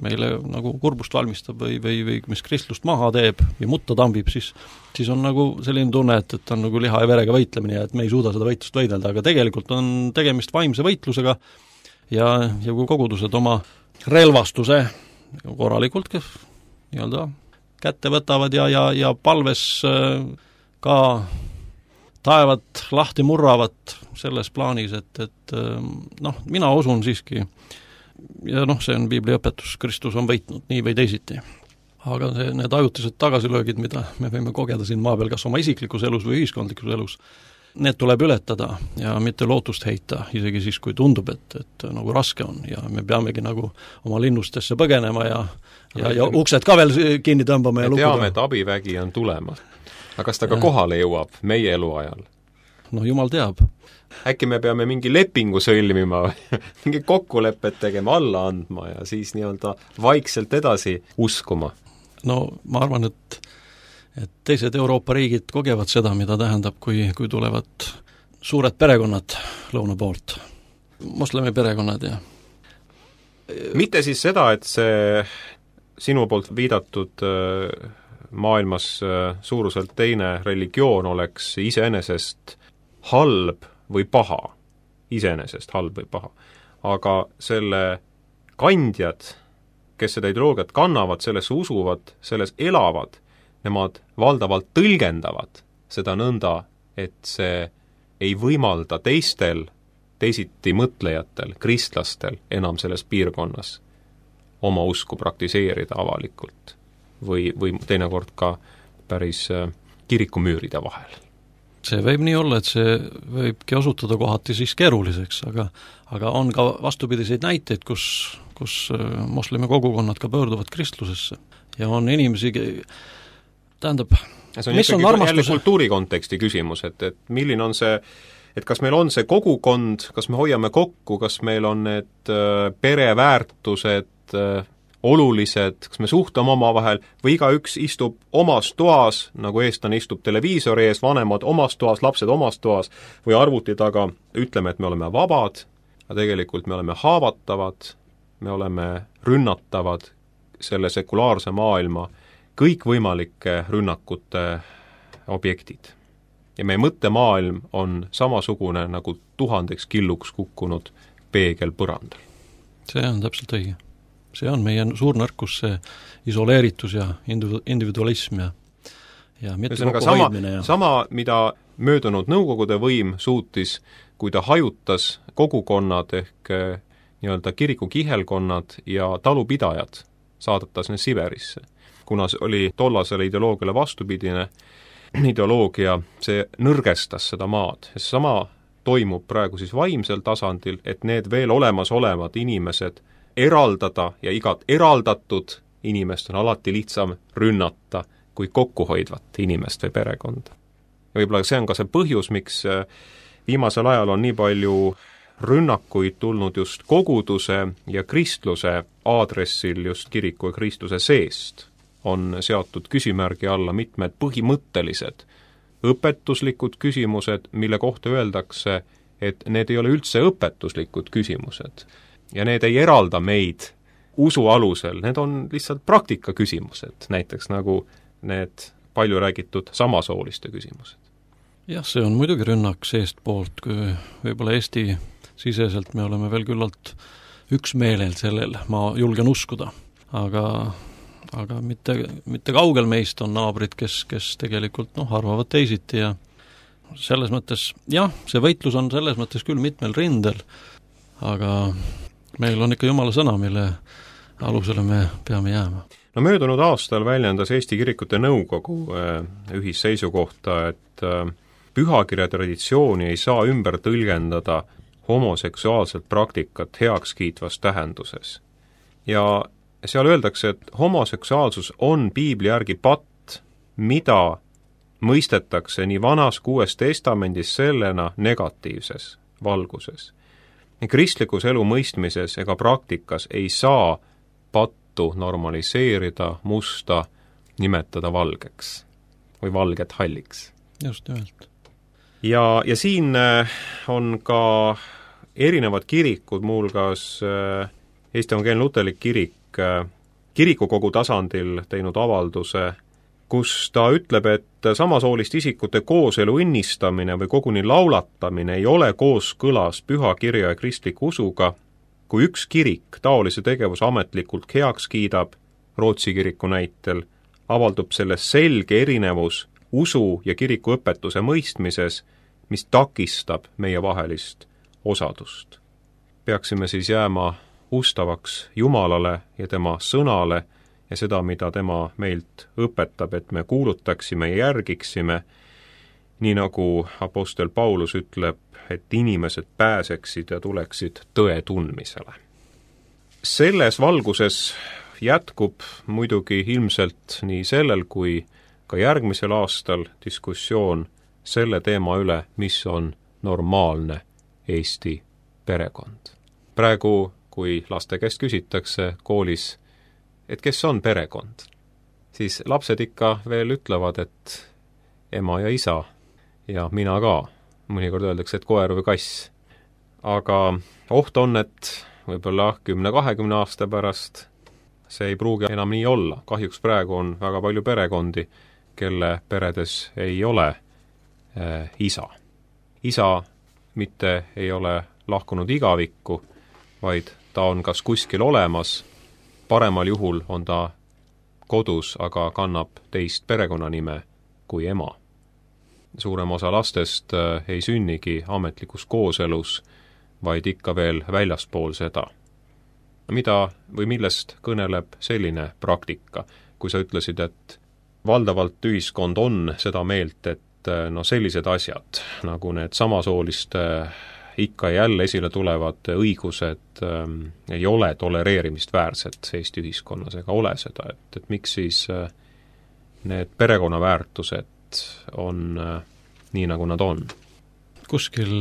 meile nagu kurbust valmistab või mis kristlust maha teeb ja mutta tambib, siis on nagu selline tunne, et on nagu liha ja verega võitlemine ja et me ei suuda seda võitlust võidelda, aga tegelikult on tegemist vaimse võitlusega ja kui kogudused oma relvastuse korralikult nii-öelda kätte võtavad ja palves ka taevad lahti murravad selles plaanis, et mina usun siiski, ja see on piibli õpetus, Kristus on võitnud nii või teisiti. Aga need ajutised tagasilöögid, mida me võime kogeda siin maa peal, kas oma isiklikus elus või ühiskondlikus elus, need tuleb ületada ja mitte lootust heita, isegi siis, kui tundub, et nagu raske on ja me peamegi nagu oma linnustesse põgenema ja uksed ka veel kinni tõmbama ja
lukuda. Me teame, et abivägi on tulemas. Aga kas ta ka kohale jõuab meie eluajal?
No jumal teab.
Äkki me peame mingi lepingu sõlmima, mingi kokkulepet tegema, alla andma ja siis nii-öelda vaikselt edasi uskuma? No ma arvan, et teised Euroopa riigid kogevad seda, mida tähendab, kui tulevad suured perekonnad lõuna poolt. Moslemi perekonnad ja mitte siis seda, et see sinu poolt viidatud maailmas suuruselt teine religioon oleks iseenesest halb või paha, iseenesest halb või paha. Aga selle kandjad, kes seda ideoloogiat kannavad, sellesse usuvad, selles elavad, nemad valdavalt tõlgendavad seda nõnda, et see ei võimalda teistel, teisiti mõtlejatel, kristlastel enam selles piirkonnas oma usku praktiseerida avalikult või teinekord ka päris kirikumüüride vahel.
See võib nii olla, et see võibki osutuda kohati siis keeruliseks, aga on ka vastupidiseid näiteid, kus moslemi kogukonnad ka pöörduvad kristlusesse ja on inimesi, tähendab,
see on ikkagi jälle kultuurikonteksti küsimus, et milline on see, et kas meil on see kogukond, kas me hoiame kokku, kas meil on need pereväärtused olulised, kas me suhtleme omavahel või igaüks istub omas toas, nagu eestlane istub televiisori ees, vanemad omas toas, lapsed omas toas või arvuti taga, ütleme, et me oleme vabad, aga tegelikult me oleme haavatavad, me oleme rünnatavad selle sekulaarse maailma kõikvõimalike rünnakute objektid. Ja meie mõttemaailm on samasugune nagu 1000 killuks kukkunud peegel põrandal.
See on täpselt õige. See on meie suur nõrkus, see isoleeritus ja individualism ja mitte kokkuhoidmine.
Sama, mida möödunud Nõukogude võim suutis, kui ta hajutas kogukonnad ehk nii-öelda kiriku kihelkonnad ja talupidajad, saadetas need Siberisse. Kuna see oli tollasele ideoloogiale vastupidine ideoloogia, see nõrgestas seda maad. Sama toimub praegu siis vaimsel tasandil, et need veel olemas olevad inimesed eraldada ja igat eraldatud inimest on alati lihtsam rünnata kui kokkuhoidvat inimest või perekonda. Ja võib-olla see on ka see põhjus, miks viimasel ajal on nii palju rünnakuid tulnud just koguduse ja kristluse aadressil just kiriku ja kristluse seest. On seatud küsimärgi alla mitmed põhimõttelised õpetuslikud küsimused, mille kohta öeldakse, et need ei ole üldse õpetuslikud küsimused. Ja need ei eralda meid usu alusel, need on lihtsalt praktika küsimused, näiteks nagu need palju räägitud samasooliste küsimused.
Jah, see on muidugi rünnak seest poolt, kui võib-olla Eesti siseselt me oleme veel küllalt üksmeelel sellel, ma julgen uskuda, aga mitte kaugel meist on naabrid, kes tegelikult arvavad teisiti ja selles mõttes, jah, see võitlus on selles mõttes küll mitmel rindel, aga meil on ikka Jumala sõna, mille alusele me peame jääma.
No möödunud aastal väljendas Eesti Kirikute Nõukogu ühisseisukohta, et pühakirja traditsiooni ei saa ümber tõlgendada homoseksuaalset praktikat heakskiitvas tähenduses. Ja seal öeldakse, et homoseksuaalsus on piibli järgi patt, mida mõistetakse nii Vanas kui Uues Testamendis sellena negatiivses valguses. Kristlikus elu mõistmises ega praktikas ei saa pattu normaliseerida, musta nimetada valgeks või valget halliks.
Just nimelt.
Ja siin on ka erinevad kirikud, muuhulgas Eesti Evangeelne Luterlik Kirik kirikukogu tasandil teinud avalduse, kus ta ütleb, et samasoolist isikute kooselu õnnistamine või koguni laulatamine ei ole kooskõlas püha kirja ja kristliku usuga. Kui üks kirik taolise tegevuse ametlikult heaks kiidab, Rootsi kiriku näitel, avaldub selles selge erinevus usu ja kiriku õpetuse mõistmises, mis takistab meie vahelist osadust. Peaksime siis jääma ustavaks Jumalale ja tema sõnale ja seda, mida tema meilt õpetab, et me kuulutaksime ja järgiksime, nii nagu apostel Paulus ütleb, et inimesed pääseksid ja tuleksid tõe tundmisele. Selles valguses jätkub muidugi ilmselt nii sellel kui ka järgmisel aastal diskussioon selle teema üle, mis on normaalne Eesti perekond. Praegu, kui laste käest küsitakse koolis, et kes on perekond, siis lapsed ikka veel ütlevad, et ema ja isa ja mina ka. Mõnikord öeldakse, et koer või kass. Aga oht on, et võib-olla 10-20 aasta pärast see ei pruugi enam nii olla. Kahjuks praegu on väga palju perekondi, kelle peredes ei ole isa. Isa mitte ei ole lahkunud igavikku, vaid ta on kas kuskil olemas, paremal juhul on ta kodus, aga kannab teist perekonnanime kui ema. Suurem osa lastest ei sünnigi ametlikus kooselus, vaid ikka veel väljaspool seda. Mida või millest kõneleb selline praktika, kui sa ütlesid, et valdavalt ühiskond on seda meelt, et sellised asjad, nagu need samasooliste ikka ja jälle esile tulevad õigused ei ole tolereerimist väärsed Eesti ühiskonnas ega ole seda, et miks siis need perekonnaväärtused on nii, nagu nad on?
Kuskil,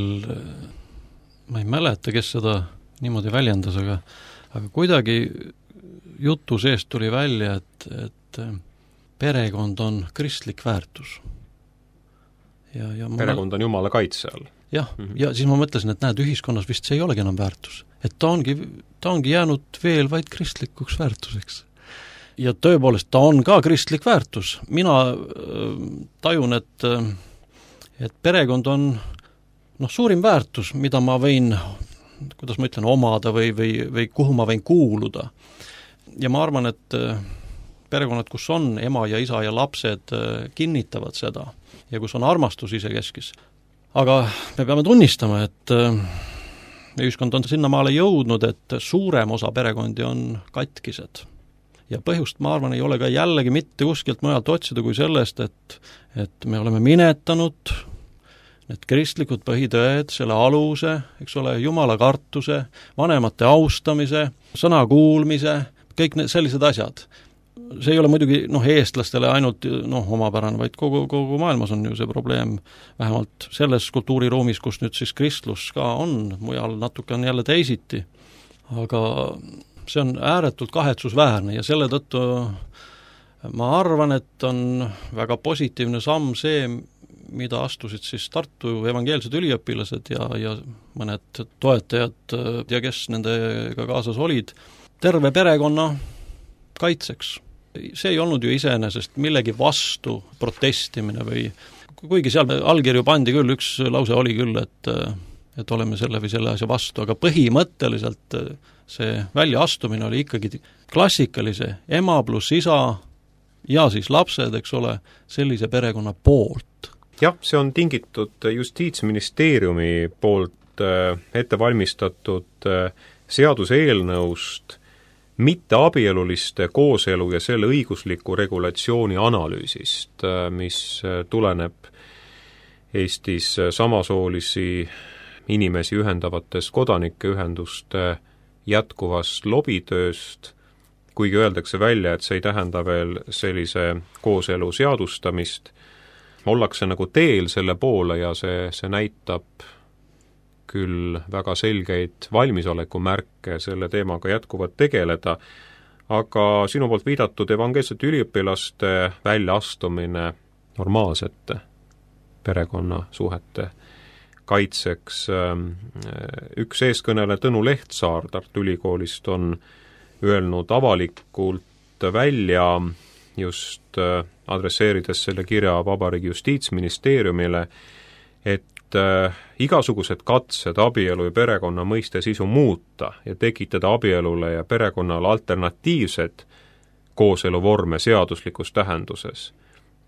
ma ei mäleta, kes seda niimoodi väljendas, aga kuidagi jutu seest tuli välja, et perekond on kristlik väärtus. Ja
perekond on Jumala kaitse all.
Jah, ja siis ma mõtlesin, et näed, ühiskonnas vist see ei olegi enam väärtus. Et ta ongi jäänud veel vaid kristlikuks väärtuseks. Ja tõepoolest, ta on ka kristlik väärtus. Mina tajun, et perekond on suurim väärtus, mida ma võin, kuidas ma ütlen, omada või kuhu ma võin kuuluda. Ja ma arvan, et perekonnad, kus on ema ja isa ja lapsed, kinnitavad seda ja kus on armastus isekeskis. Aga me peame tunnistama, et ühiskond on sinnamaale jõudnud, et suurem osa perekondi on katkised. Ja põhjust, ma arvan, ei ole ka jällegi mitte kuskilt mujalt otsida kui sellest, et me oleme minetanud need kristlikud põhitõed, selle aluse, eks ole, Jumala kartuse, vanemate austamise, sõna kuulmise, kõik need sellised asjad. See ei ole muidugi eestlastele ainult omapärane, vaid kogu maailmas on ju see probleem, vähemalt selles kultuuriruumis, kus nüüd siis kristlus ka on, mujal natuke on jälle teisiti. Aga see on ääretult kahetsusväärne ja selle tõttu ma arvan, et on väga positiivne samm see, mida astusid siis Tartu evangeelsed üliõpilased ja mõned toetajad ja kes nendega kaasas olid, terve perekonna kaitseks. See ei olnud ju iseenesest millegi vastu protestimine või kuigi seal allkirju pandi küll, üks lause oli küll, et oleme selle või selle asja vastu, aga põhimõtteliselt see väljaastumine oli ikkagi klassikalise ema pluss isa ja siis lapsed, eks ole, sellise perekonna poolt.
Jah, see on tingitud Justiitsministeeriumi poolt ettevalmistatud seaduseelnõust, mitteabieluliste kooselu ja selle õigusliku regulatsiooni analüüsist, mis tuleneb Eestis samasoolisi inimesi ühendavates kodanikeühenduste jätkuvast lobitööst, kuigi öeldakse välja, et see ei tähenda veel sellise kooselu seadustamist, ollakse nagu teel selle poole ja see näitab küll väga selgeid valmisoleku märke selle teemaga jätkuvalt tegeleda, aga sinu poolt viidatud evangeelsete üliõpilaste väljaastumine normaalsete perekonnasuhete kaitseks. Üks eeskõneleja Tõnu Lehtsaar Tartu Ülikoolist on öelnud avalikult välja, just adresseerides selle kirja Vabariigi Justiitsministeeriumile, et igasugused katsed abielu ja perekonna mõiste sisu muuta ja tekitada abielule ja perekonnale alternatiivsed kooseluvorme seaduslikus tähenduses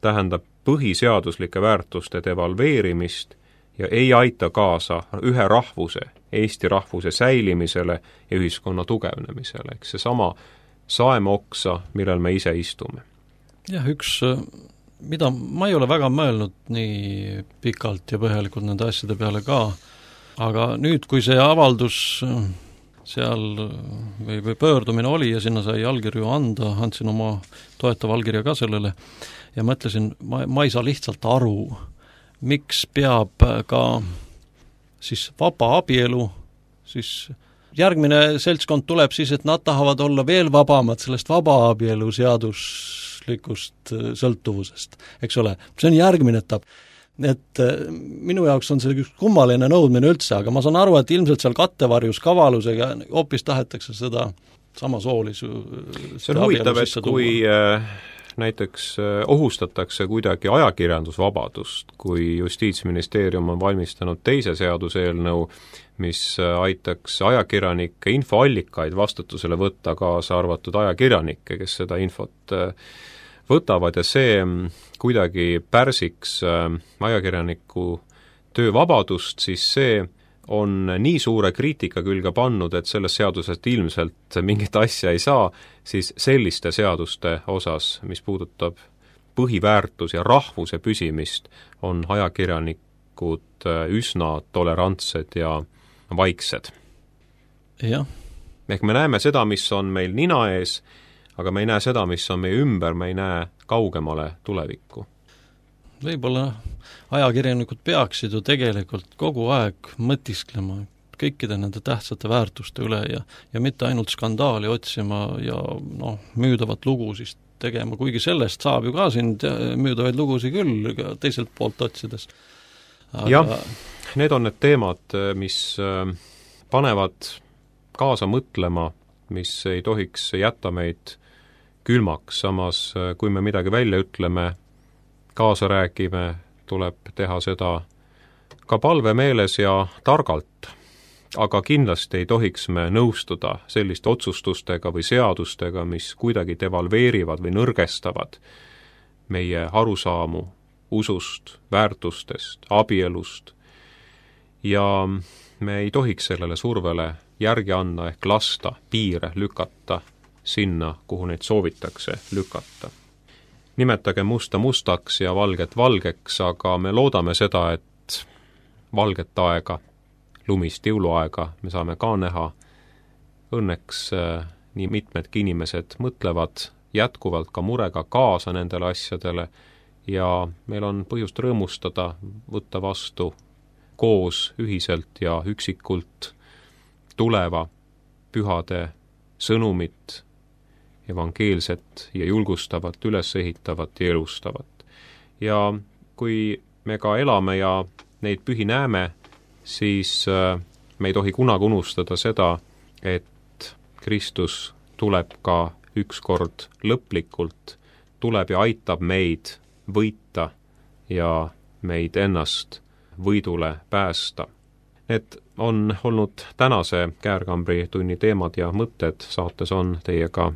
tähendab põhiseaduslike väärtuste devalveerimist ja ei aita kaasa ühe rahvuse, Eesti rahvuse säilimisele ja ühiskonna tugevnemisele. Eks see sama saemoksa, millel me ise istume.
Jah, üks, mida ma ei ole väga mõelnud nii pikalt ja põhjalikult nende asjade peale ka, aga nüüd, kui see avaldus seal või pöördumine oli ja sinna sai allkirju anda, andsin oma toetava allkirja ka sellele ja mõtlesin, ma ei saa lihtsalt aru, miks peab ka siis vaba abielu, siis järgmine seltskond tuleb siis, et nad tahavad olla veel vabamad sellest vaba abielu seaduslikust sõltuvusest, eks ole. See on järgmine etapp. Et minu jaoks on see üks kummaline nõudmine üldse, aga ma saan aru, et ilmselt seal kattevarjus kavalusega hoopis tahetakse seda samasoolisu
see on huvitav, et kui näiteks ohustatakse kuidagi ajakirjandusvabadust, kui Justiitsministeerium on valmistanud teise seaduseelnõu, mis aitaks ajakirjanike infoallikaid vastutusele võtta, kaasa arvatud ajakirjanikke, kes seda infot võtavad ja see kuidagi pärsiks ajakirjaniku töövabadust, siis see on nii suure kriitika külge pannud, et sellest seadusest ilmselt mingit asja ei saa, siis selliste seaduste osas, mis puudutab põhiväärtus ja rahvuse püsimist, on ajakirjanikud üsna tolerantsed ja vaiksed.
Jah.
Ehk me näeme seda, mis on meil nina ees, aga me ei näe seda, mis on meie ümber, me ei näe kaugemale tulevikku.
Võib-olla ajakirjanikud peaksid ju tegelikult kogu aeg mõtisklema kõikide nende tähtsate väärtuste üle ja mitte ainult skandaali otsima ja müüdavat lugu siis tegema, kuigi sellest saab ju ka siin müüdavaid lugusid küll teiselt poolt otsides.
Jah, need on need teemad, mis panevad kaasa mõtlema, mis ei tohiks jätta meid külmaks, samas kui me midagi välja ütleme, kaasa räägime, tuleb teha seda ka palvemeeles ja targalt, aga kindlasti ei tohiks me nõustuda selliste otsustustega või seadustega, mis kuidagi devalveerivad või nõrgestavad meie arusaamu usust, väärtustest, abielust ja me ei tohiks sellele survele järgi anda ehk lasta piire lükata sinna, kuhu neid soovitakse lükata. Nimetage musta mustaks ja valget valgeks, aga me loodame seda, et valget aega, lumist jõuluaega me saame ka näha. Õnneks nii mitmedki inimesed mõtlevad jätkuvalt ka murega kaasa nendele asjadele ja meil on põhjust rõõmustada, võtta vastu koos, ühiselt ja üksikult tuleva pühade sõnumit, evangeelset ja julgustavat, ülesehitavat ja elustavat. Ja kui me ka elame ja neid pühi näeme, siis me ei tohi kunagi unustada seda, et Kristus tuleb ka ükskord lõplikult, tuleb ja aitab meid võita ja meid ennast võidule päästa. Need on olnud tänase Käärkambri tunni teemad ja mõtted, saates on teiega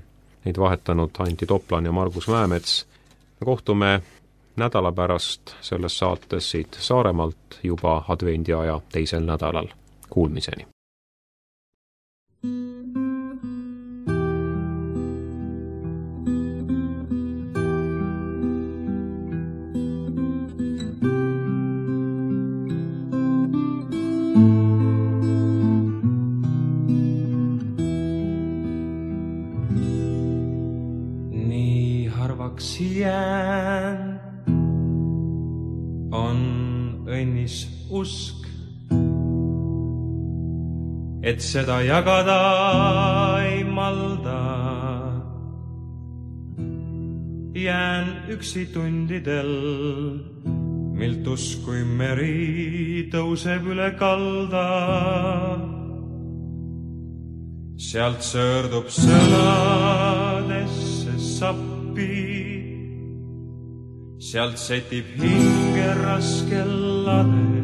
neid vahetanud Anti Toplan ja Margus Mäemets. Kohtume nädala pärast selles saates siit Saaremaalt juba advendiaja teisel nädalal. Kuulmiseni!
harvaks jään, on õnnis usk, et seda jagada ei malda. Jään üksi tundidel, milt uskui meri tõuseb üle kalda. Sealt sõõrdub sõnadesse sappi, sealt setib hinge raskel lade.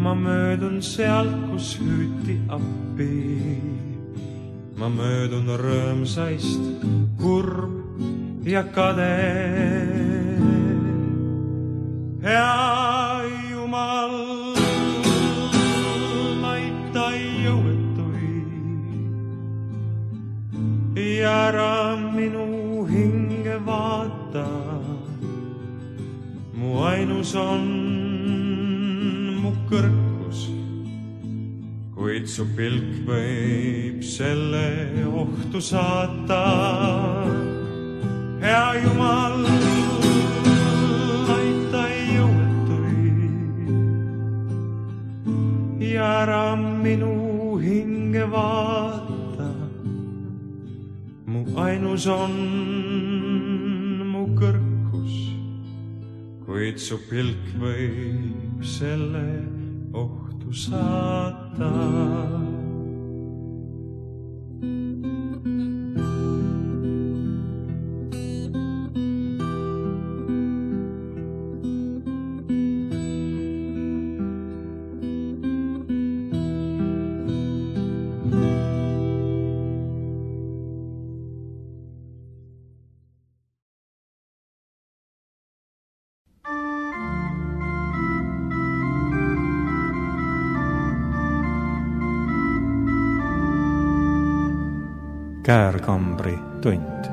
Ma möödun sealt, kus hüüti appi, ma möödun rõõmsaist, kurb ja kade. Hea Jumal, aita jõuetuid ja ära minu hinge vaata. Mu ainus on mu kõrkus, kuid su pilk võib selle ohtu saata. Hea Jumal, aita jõuetuid ja ära minu hinge vaata. Mu ainus on mu kõrkus, kuid su pilk võib selle ohtu saata.
Käärkambri tund.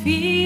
Feel